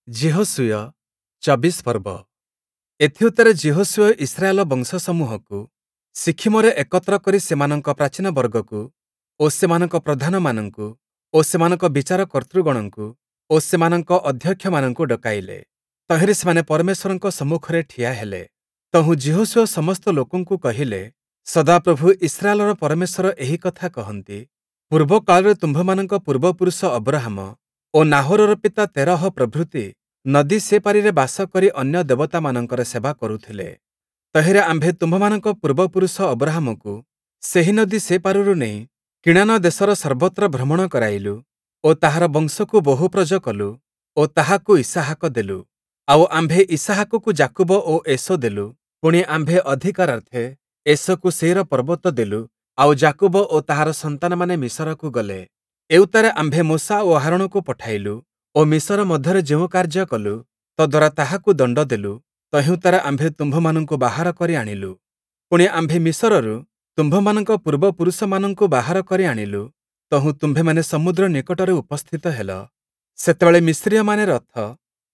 ଯିହୋଶୂୟ, ୨୪ ପର୍ବ। ଏଥିଉତ୍ତାରେ ଯିହୋଶୂୟ ଇସ୍ରାଏଲ ବଂଶସମୂହକୁ ଶିଖିମରେ ଏକତ୍ର କରି ସେମାନଙ୍କ ପ୍ରାଚୀନବର୍ଗକୁ ଓ ସେମାନଙ୍କ ପ୍ରଧାନମାନଙ୍କୁ ଓ ସେମାନଙ୍କ ବିଚାରକର୍ତ୍ତୃଗଣଙ୍କୁ ଓ ସେମାନଙ୍କ ଅଧ୍ୟକ୍ଷମାନଙ୍କୁ ଡକାଇଲେ। ତହିଁରେ ସେମାନେ ପରମେଶ୍ୱରଙ୍କ ସମ୍ମୁଖରେ ଠିଆ ହେଲେ। ତହୁଁ ଯିହୋଶୂୟ ସମସ୍ତ ଲୋକଙ୍କୁ କହିଲେ, ସଦାପ୍ରଭୁ ଇସ୍ରାଏଲର ପରମେଶ୍ୱର ଏହି କଥା କହନ୍ତି, ପୂର୍ବକାଳରେ ତୁମ୍ଭମାନଙ୍କ ପୂର୍ବପୁରୁଷ ଅବ୍ରହାମ ଓ ନାହୋରର ପିତା ତେରହ ପ୍ରଭୃତି ନଦୀ ସେପାରିରେ ବାସ କରି ଅନ୍ୟ ଦେବତାମାନଙ୍କର ସେବା କରୁଥିଲେ। ତହିଁରେ ଆମ୍ଭେ ତୁମ୍ଭମାନଙ୍କ ପୂର୍ବପୁରୁଷ ଅବ୍ରହାମକୁ ସେହି ନଦୀ ସେପାରରୁ ନେଇ କିଣାନ ଦେଶର ସର୍ବତ୍ର ଭ୍ରମଣ କରାଇଲୁ ଓ ତାହାର ବଂଶକୁ ବହୁପ୍ରଜ କଲୁ ଓ ତାହାକୁ ଇସାହାକ ଦେଲୁ। ଆଉ ଆମ୍ଭେ ଇସାହାକକୁ ଯାକୁବ ଓ ଏଷୌ ଦେଲୁ। ପୁଣି ଆମ୍ଭେ ଅଧିକାରାର୍ଥେ ଏଷୌକୁ ସେୟୀର ପର୍ବତ ଦେଲୁ, ଆଉ ଯାକୁବ ଓ ତାହାର ସନ୍ତାନମାନେ ମିଶରକୁ ଗଲେ। ଏଉତ୍ତାରେ ଆମ୍ଭେ ମୋଶା ଓ ହାରୋଣକୁ ପଠାଇଲୁ ଓ ମିଶର ମଧ୍ୟରେ ଯେଉଁ କାର୍ଯ୍ୟ କଲୁ, ତଦ୍ୱାରା ତାହାକୁ ଦଣ୍ଡ ଦେଲୁ। ତହିଁଉତ୍ତାରେ ଆମ୍ଭେ ତୁମ୍ଭମାନଙ୍କୁ ବାହାର କରି ଆଣିଲୁ। ପୁଣି ଆମ୍ଭେ ମିଶରରୁ ତୁମ୍ଭମାନଙ୍କ ପୂର୍ବପୁରୁଷମାନଙ୍କୁ ବାହାର କରି ଆଣିଲୁ। ତହୁଁ ତୁମ୍ଭେମାନେ ସମୁଦ୍ର ନିକଟରେ ଉପସ୍ଥିତ ହେଲ। ସେତେବେଳେ ମିସ୍ରୀୟମାନେ ରଥ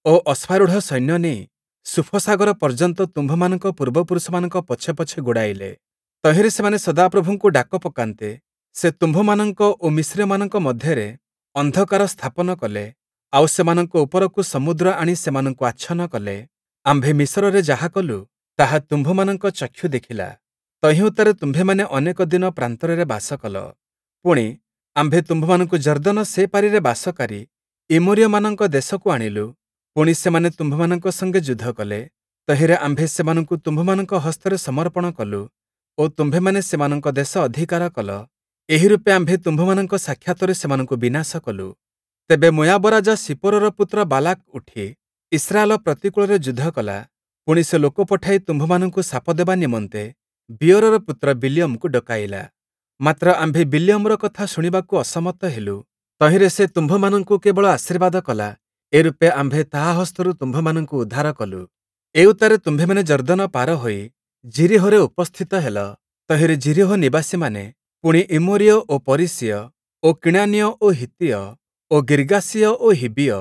ଓ ଅଶ୍ୱାରୂଢ଼ ସୈନ୍ୟ ନେଇ ସୁଫସାଗର ପର୍ଯ୍ୟନ୍ତ ତୁମ୍ଭମାନଙ୍କ ପୂର୍ବପୁରୁଷମାନଙ୍କ ପଛେ ପଛେ ଗୋଡ଼ାଇଲେ। ତହିଁରେ ସେମାନେ ସଦାପ୍ରଭୁଙ୍କୁ ଡାକ ପକାନ୍ତେ, ସେ ତୁମ୍ଭମାନଙ୍କ ଓ ମିସ୍ରୀୟମାନଙ୍କ ମଧ୍ୟରେ ଅନ୍ଧକାର ସ୍ଥାପନ କଲେ, ଆଉ ସେମାନଙ୍କ ଉପରକୁ ସମୁଦ୍ର ଆଣି ସେମାନଙ୍କୁ ଆଚ୍ଛନ୍ନ କଲେ। ଆମ୍ଭେ ମିଶରରେ ଯାହା କଲୁ, ତାହା ତୁମ୍ଭମାନଙ୍କ ଚକ୍ଷୁ ଦେଖିଲା। ତହିଁଉତ୍ତାରେ ତୁମ୍ଭେମାନେ ଅନେକ ଦିନ ପ୍ରାନ୍ତରରେ ବାସ କଲ। ପୁଣି, ଆମ୍ଭେ ତୁମ୍ଭମାନଙ୍କୁ ଯର୍ଦ୍ଦନ ସେପାରିରେ ବାସକାରୀ ଇମୋରୀୟମାନଙ୍କ ଦେଶକୁ ଆଣିଲୁ। ପୁଣି ସେମାନେ ତୁମ୍ଭମାନଙ୍କ ସଙ୍ଗେ ଯୁଦ୍ଧ କଲେ। ତହିଁରେ ଆମ୍ଭେ ସେମାନଙ୍କୁ ତୁମ୍ଭମାନଙ୍କ ହସ୍ତରେ ସମର୍ପଣ କଲୁ ଓ ତୁମ୍ଭେମାନେ ସେମାନଙ୍କ ଦେଶ ଅଧିକାର କଲ। ଏହି ରୂପେ ଆମ୍ଭେ ତୁମ୍ଭମାନଙ୍କ ସାକ୍ଷାତରେ ସେମାନଙ୍କୁ ବିନାଶ କଲୁ। ତେବେ ମୋୟାବ ରାଜା ସିପୋରର ପୁତ୍ର ବାଲାକ ଉଠି ଇସ୍ରାଏଲ ପ୍ରତିକୂଳରେ ଯୁଦ୍ଧ କଲା। ପୁଣି ସେ ଲୋକ ପଠାଇ ତୁମ୍ଭମାନଙ୍କୁ ଶାପ ଦେବା ନିମନ୍ତେ ବିୟୋରର ପୁତ୍ର ବିଲିୟମକୁ ଡକାଇଲା। ମାତ୍ର ଆମ୍ଭେ ବିଲିୟମର କଥା ଶୁଣିବାକୁ ଅସମତ ହେଲୁ। ତହିଁରେ ସେ ତୁମ୍ଭମାନଙ୍କୁ କେବଳ ଆଶୀର୍ବାଦ କଲା। ଏ ରୂପେ ଆମ୍ଭେ ତାହା ହସ୍ତରୁ ତୁମ୍ଭମାନଙ୍କୁ ଉଦ୍ଧାର କଲୁ। ଏଉତ୍ତାରେ ତୁମ୍ଭେମାନେ ଯର୍ଦ୍ଦନ ପାର ହୋଇ ଯିରୀହୋରେ ଉପସ୍ଥିତ ହେଲ। ତହିଁରେ ଯିରୀହୋ ନିବାସୀମାନେ, ପୁଣି ଇମୋରୀୟ ଓ ପରିସୀୟ ଓ କିଣାନୀୟ ଓ ହିତ୍ତୀୟ ଓ ଗିର୍ଗାସୀୟ ଓ ହିବ୍ବୀୟ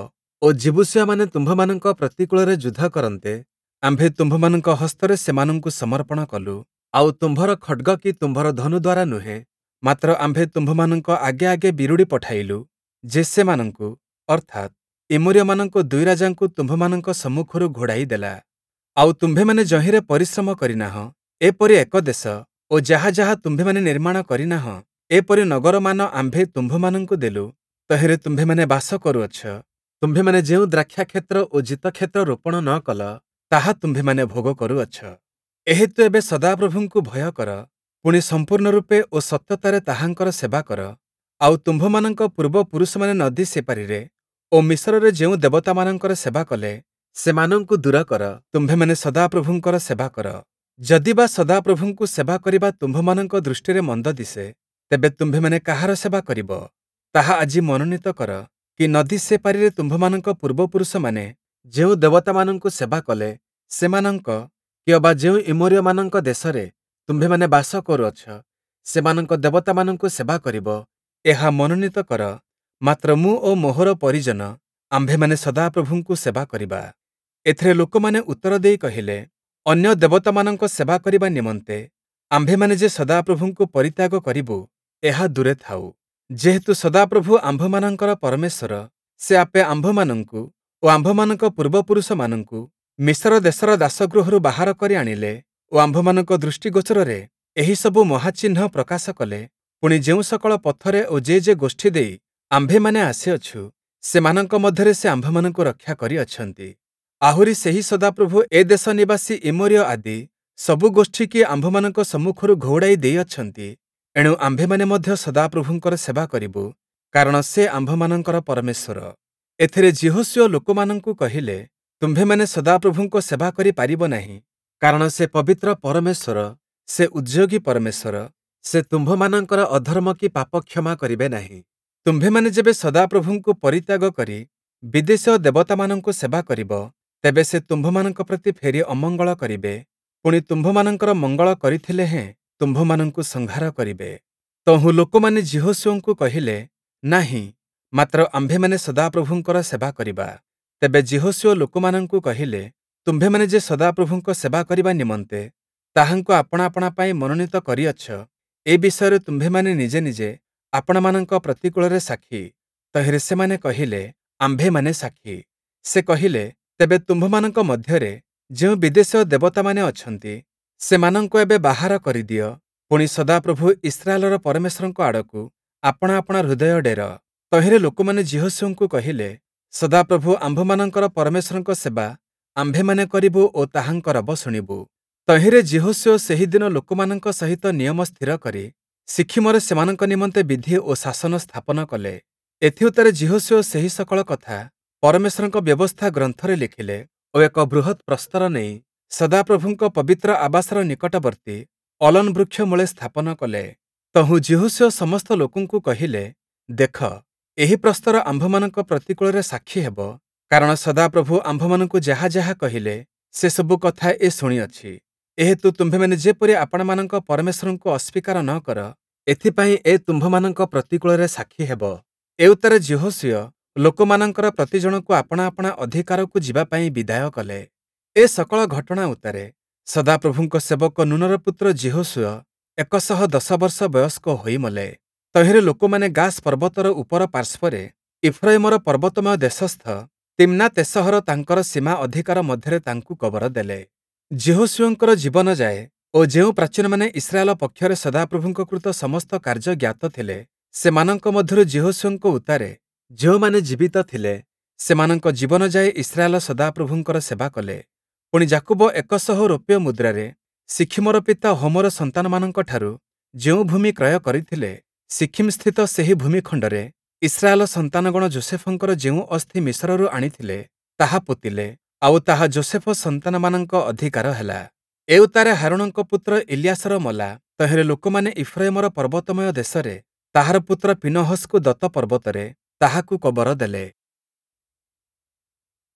ଓ ଯିବୂସୀୟମାନେ ତୁମ୍ଭମାନଙ୍କ ପ୍ରତିକୂଳରେ ଯୁଦ୍ଧ କରନ୍ତେ, ଆମ୍ଭେ ତୁମ୍ଭମାନଙ୍କ ହସ୍ତରେ ସେମାନଙ୍କୁ ସମର୍ପଣ କଲୁ। ଆଉ ତୁମ୍ଭର ଖଡ଼୍ଗ କି ତୁମ୍ଭର ଧନୁ ଦ୍ୱାରା ନୁହେଁ, ମାତ୍ର ଆମ୍ଭେ ତୁମ୍ଭମାନଙ୍କ ଆଗେ ଆଗେ ବିରୁଡ଼ି ପଠାଇଲୁ, ଯେ ସେମାନଙ୍କୁ, ଅର୍ଥାତ୍ ଇମୋରୀୟମାନଙ୍କ ଦୁଇ ରାଜାଙ୍କୁ ତୁମ୍ଭମାନଙ୍କ ସମ୍ମୁଖରୁ ଘୋଡ଼ାଇ ଦେଲା। ଆଉ ତୁମ୍ଭେମାନେ ଯହିଁରେ ପରିଶ୍ରମ କରିନାହଁ, ଏପରି ଏକ ଦେଶ ଓ ଯାହା ଯାହା ତୁମ୍ଭେମାନେ ନିର୍ମାଣ କରିନାହଁ, ଏପରି ନଗରମାନ ଆମ୍ଭେ ତୁମ୍ଭମାନଙ୍କୁ ଦେଲୁ, ତହିଁରେ ତୁମ୍ଭେମାନେ ବାସ କରୁଅଛ। ତୁମ୍ଭେମାନେ ଯେଉଁ ଦ୍ରାକ୍ଷାକ୍ଷେତ୍ର ଓ ଜିତକ୍ଷେତ୍ର ରୋପଣ ନ କଲ, ତାହା ତୁମ୍ଭେମାନେ ଭୋଗ କରୁଅଛ। ଏହେତୁ ଏବେ ସଦାପ୍ରଭୁଙ୍କୁ ଭୟ କର, ପୁଣି ସମ୍ପୂର୍ଣ୍ଣ ରୂପେ ଓ ସତ୍ୟତାରେ ତାହାଙ୍କର ସେବା କର। ଆଉ ତୁମ୍ଭମାନଙ୍କ ପୂର୍ବପୁରୁଷମାନେ ନଦୀ ସେପାରିରେ ଓ ମିଶରରେ ଯେଉଁ ଦେବତାମାନଙ୍କର ସେବା କଲେ, ସେମାନଙ୍କୁ ଦୂର କର, ତୁମ୍ଭେମାନେ ସଦାପ୍ରଭୁଙ୍କର ସେବା କର। ଯଦି ବା ସଦାପ୍ରଭୁଙ୍କୁ ସେବା କରିବା ତୁମ୍ଭମାନଙ୍କ ଦୃଷ୍ଟିରେ ମନ୍ଦ ଦିଶେ, ତେବେ ତୁମ୍ଭେମାନେ କାହାର ସେବା କରିବ, ତାହା ଆଜି ମନୋନୀତ କର। କି ନଦୀ ସେପାରିରେ ତୁମ୍ଭମାନଙ୍କ ପୂର୍ବପୁରୁଷମାନେ ଯେଉଁ ଦେବତାମାନଙ୍କୁ ସେବା କଲେ, ସେମାନଙ୍କ, କି ଅବା ଯେଉଁ ଇମୋରୀୟମାନଙ୍କ ଦେଶରେ ତୁମ୍ଭେମାନେ ବାସ କରୁଅଛ, ସେମାନଙ୍କ ଦେବତାମାନଙ୍କୁ ସେବା କରିବ, ଏହା ମନୋନୀତ କର। ମାତ୍ର ମୁଁ ଓ ମୋହର ପରିଜନ ଆମ୍ଭେମାନେ ସଦାପ୍ରଭୁଙ୍କୁ ସେବା କରିବା। ଏଥିରେ ଲୋକମାନେ ଉତ୍ତର ଦେଇ କହିଲେ, ଅନ୍ୟ ଦେବତାମାନଙ୍କ ସେବା କରିବା ନିମନ୍ତେ ଆମ୍ଭେମାନେ ଯେ ସଦାପ୍ରଭୁଙ୍କୁ ପରିତ୍ୟାଗ କରିବୁ, ଏହା ଦୂରେ ଥାଉ। ଯେହେତୁ ସଦାପ୍ରଭୁ ଆମ୍ଭମାନଙ୍କର ପରମେଶ୍ୱର, ସେ ଆପେ ଆମ୍ଭମାନଙ୍କୁ ଓ ଆମ୍ଭମାନଙ୍କ ପୂର୍ବପୁରୁଷମାନଙ୍କୁ ମିଶର ଦେଶର ଦାସଗୃହରୁ ବାହାର କରି ଆଣିଲେ ଓ ଆମ୍ଭମାନଙ୍କ ଦୃଷ୍ଟିଗୋଚରରେ ଏହିସବୁ ମହାଚିହ୍ନ ପ୍ରକାଶ କଲେ। ପୁଣି ଯେଉଁ ସକଳ ପଥରେ ଓ ଯେ ଯେ ଗୋଷ୍ଠୀ ଦେଇ ଆମ୍ଭେମାନେ ଆସିଅଛୁ, ସେମାନଙ୍କ ମଧ୍ୟରେ ସେ ଆମ୍ଭମାନଙ୍କୁ ରକ୍ଷା କରିଅଛନ୍ତି। ଆହୁରି ସେହି ସଦାପ୍ରଭୁ ଏ ଦେଶ ନିବାସୀ ଇମୋରୀୟ ଆଦି ସବୁ ଗୋଷ୍ଠୀକି ଆମ୍ଭମାନଙ୍କ ସମ୍ମୁଖରୁ ଘଉଡ଼ାଇ ଦେଇଅଛନ୍ତି। ଏଣୁ ଆମ୍ଭେମାନେ ମଧ୍ୟ ସଦାପ୍ରଭୁଙ୍କର ସେବା କରିବୁ, କାରଣ ସେ ଆମ୍ଭମାନଙ୍କର ପରମେଶ୍ୱର। ଏଥିରେ ଯିହୋଶୂୟ ଲୋକମାନଙ୍କୁ କହିଲେ, ତୁମ୍ଭେମାନେ ସଦାପ୍ରଭୁଙ୍କ ସେବା କରି ପାରିବ ନାହିଁ, କାରଣ ସେ ପବିତ୍ର ପରମେଶ୍ୱର, ସେ ଉଦ୍ଯୋଗୀ ପରମେଶ୍ୱର, ସେ ତୁମ୍ଭମାନଙ୍କର ଅଧର୍ମ କି ପାପ କ୍ଷମା କରିବେ ନାହିଁ। ତୁମ୍ଭେମାନେ ଯେବେ ସଦାପ୍ରଭୁଙ୍କୁ ପରିତ୍ୟାଗ କରି ବିଦେଶୀୟ ଦେବତାମାନଙ୍କୁ ସେବା କରିବ, ତେବେ ସେ ତୁମ୍ଭମାନଙ୍କ ପ୍ରତି ଫେରି ଅମଙ୍ଗଳ କରିବେ, ପୁଣି ତୁମ୍ଭମାନଙ୍କର ମଙ୍ଗଳ କରିଥିଲେ ହେଁ ତୁମ୍ଭମାନଙ୍କୁ ସଂହାର କରିବେ। ତହୁଁ ଲୋକମାନେ ଯିହୋଶୂୟଙ୍କୁ କହିଲେ, ନାହିଁ, ମାତ୍ର ଆମ୍ଭେମାନେ ସଦାପ୍ରଭୁଙ୍କର ସେବା କରିବା। ତେବେ ଯିହୋଶୂୟ ଲୋକମାନଙ୍କୁ କହିଲେ, ତୁମ୍ଭେମାନେ ଯେ ସଦାପ୍ରଭୁଙ୍କ ସେବା କରିବା ନିମନ୍ତେ ତାହାଙ୍କୁ ଆପଣା ଆପଣା ପାଇଁ ମନୋନୀତ କରିଅଛ, ଏ ବିଷୟରେ ତୁମ୍ଭେମାନେ ନିଜେ ନିଜେ ଆପଣାମାନଙ୍କ ପ୍ରତିକୂଳରେ ସାକ୍ଷୀ। ତହିଁରେ ସେମାନେ କହିଲେ, ଆମ୍ଭେମାନେ ସାକ୍ଷୀ। ସେ କହିଲେ, ତେବେ ତୁମ୍ଭମାନଙ୍କ ମଧ୍ୟରେ ଯେଉଁ ବିଦେଶୀୟ ଦେବତାମାନେ ଅଛନ୍ତି, ସେମାନଙ୍କୁ ଏବେ ବାହାର କରିଦିଅ, ପୁଣି ସଦାପ୍ରଭୁ ଇସ୍ରାଏଲର ପରମେଶ୍ୱରଙ୍କ ଆଡ଼କୁ ଆପଣା ଆପଣା ହୃଦୟ ଡେର। ତହିଁରେ ଲୋକମାନେ ଯିହୋଶୂୟଙ୍କୁ କହିଲେ, ସଦାପ୍ରଭୁ ଆମ୍ଭମାନଙ୍କର ପରମେଶ୍ୱରଙ୍କ ସେବା ଆମ୍ଭେମାନେ କରିବୁ ଓ ତାହାଙ୍କ ରବ ଶୁଣିବୁ। ତହିଁରେ ଯିହୋଶୂୟ ସେହି ଦିନ ଲୋକମାନଙ୍କ ସହିତ ନିୟମ ସ୍ଥିର କରି ଶିଖିମରେ ସେମାନଙ୍କ ନିମନ୍ତେ ବିଧି ଓ ଶାସନ ସ୍ଥାପନ କଲେ। ଏଥିଉତ୍ତାରେ ଯିହୋଶୂୟ ସେହି ସକଳ କଥା ପରମେଶ୍ୱରଙ୍କ ବ୍ୟବସ୍ଥା ଗ୍ରନ୍ଥରେ ଲେଖିଲେ ଓ ଏକ ବୃହତ୍ ପ୍ରସ୍ତର ନେଇ ସଦାପ୍ରଭୁଙ୍କ ପବିତ୍ର ଆବାସର ନିକଟବର୍ତ୍ତୀ ଅଲୋନ୍ ବୃକ୍ଷ ମୂଳେ ସ୍ଥାପନ କଲେ। ତହୁଁ ଯିହୋଶୂୟ ସମସ୍ତ ଲୋକଙ୍କୁ କହିଲେ, ଦେଖ, ଏହି ପ୍ରସ୍ତର ଆମ୍ଭମାନଙ୍କ ପ୍ରତିକୂଳରେ ସାକ୍ଷୀ ହେବ, କାରଣ ସଦାପ୍ରଭୁ ଆମ୍ଭମାନଙ୍କୁ ଯାହା ଯାହା କହିଲେ, ସେସବୁ କଥା ଏ ଶୁଣିଅଛି। ଏହେତୁ ତୁମ୍ଭେମାନେ ଯେପରି ଆପଣାମାନଙ୍କ ପରମେଶ୍ୱରଙ୍କୁ ଅସ୍ୱୀକାର ନ କର, ଏଥିପାଇଁ ଏ ତୁମ୍ଭମାନଙ୍କ ପ୍ରତିକୂଳରେ ସାକ୍ଷୀ ହେବ। ଏଉତ୍ତାରେ ଯିହୋଶୂୟ ଲୋକମାନଙ୍କର ପ୍ରତି ଜଣକୁ ଆପଣା ଆପଣା ଅଧିକାରକୁ ଯିବା ପାଇଁ ବିଦାୟ କଲେ। ଏ ସକଳ ଘଟଣା ଉତ୍ତାରେ ସଦାପ୍ରଭୁଙ୍କ ସେବକ ନୂନର ପୁତ୍ର ଯିହୋଶୂୟ 110 ବର୍ଷ ବୟସ୍କ ହୋଇ ମଲେ। ତହିଁରେ ଲୋକମାନେ ଗାସ୍ ପର୍ବତର ଉପର ପାର୍ଶ୍ୱରେ ଇଫ୍ରୟିମର ପର୍ବତମୟ ଦେଶସ୍ଥ ତିମ୍ନାତେସହର ତାଙ୍କର ସୀମା ଅଧିକାର ମଧ୍ୟରେ ତାଙ୍କୁ କବର ଦେଲେ। ଯିହୋଶୂୟଙ୍କର ଜୀବନ ଯାଏ ଓ ଯେଉଁ ପ୍ରାଚୀନମାନେ ଇସ୍ରାଏଲ ପକ୍ଷରେ ସଦାପ୍ରଭୁଙ୍କ କୃତ ସମସ୍ତ କାର୍ଯ୍ୟ ଜ୍ଞାତ ଥିଲେ, ସେମାନଙ୍କ ମଧ୍ୟରୁ ଯିହୋଶୂୟଙ୍କ ଉତ୍ତାରେ ଯେଉଁମାନେ ଜୀବିତ ଥିଲେ, ସେମାନଙ୍କ ଜୀବନ ଯାଏ ଇସ୍ରାଏଲ ସଦାପ୍ରଭୁଙ୍କର ସେବା କଲେ। ପୁଣି ଯାକୁବ 100 ରୌପ୍ୟ ମୁଦ୍ରାରେ ଶିଖିମର ପିତା ହୋମର ସନ୍ତାନମାନଙ୍କଠାରୁ ଯେଉଁ ଭୂମି କ୍ରୟ କରିଥିଲେ, ଶିଖିମ୍ସ୍ଥିତ ସେହି ଭୂମିଖଣ୍ଡରେ ଇସ୍ରାଏଲ ସନ୍ତାନଗଣ ଯୋଷେଫଙ୍କର ଯେଉଁ ଅସ୍ଥି ମିଶରରୁ ଆଣିଥିଲେ, ତାହା ପୋତିଲେ, ଆଉ ତାହା ଯୋଷେଫ ସନ୍ତାନମାନଙ୍କ ଅଧିକାର ହେଲା। ଏଉତ୍ତାରେ ହାରୋଣଙ୍କ ପୁତ୍ର ଇଲିୟାସର ମଲା। ତହିଁରେ ଲୋକମାନେ ଇଫ୍ରୟିମର ପର୍ବତମୟ ଦେଶରେ ତାହାର ପୁତ୍ର ପୀନହସକୁ ଦତ ପର୍ବତରେ ତାହାକୁ କବର ଦେଲେ।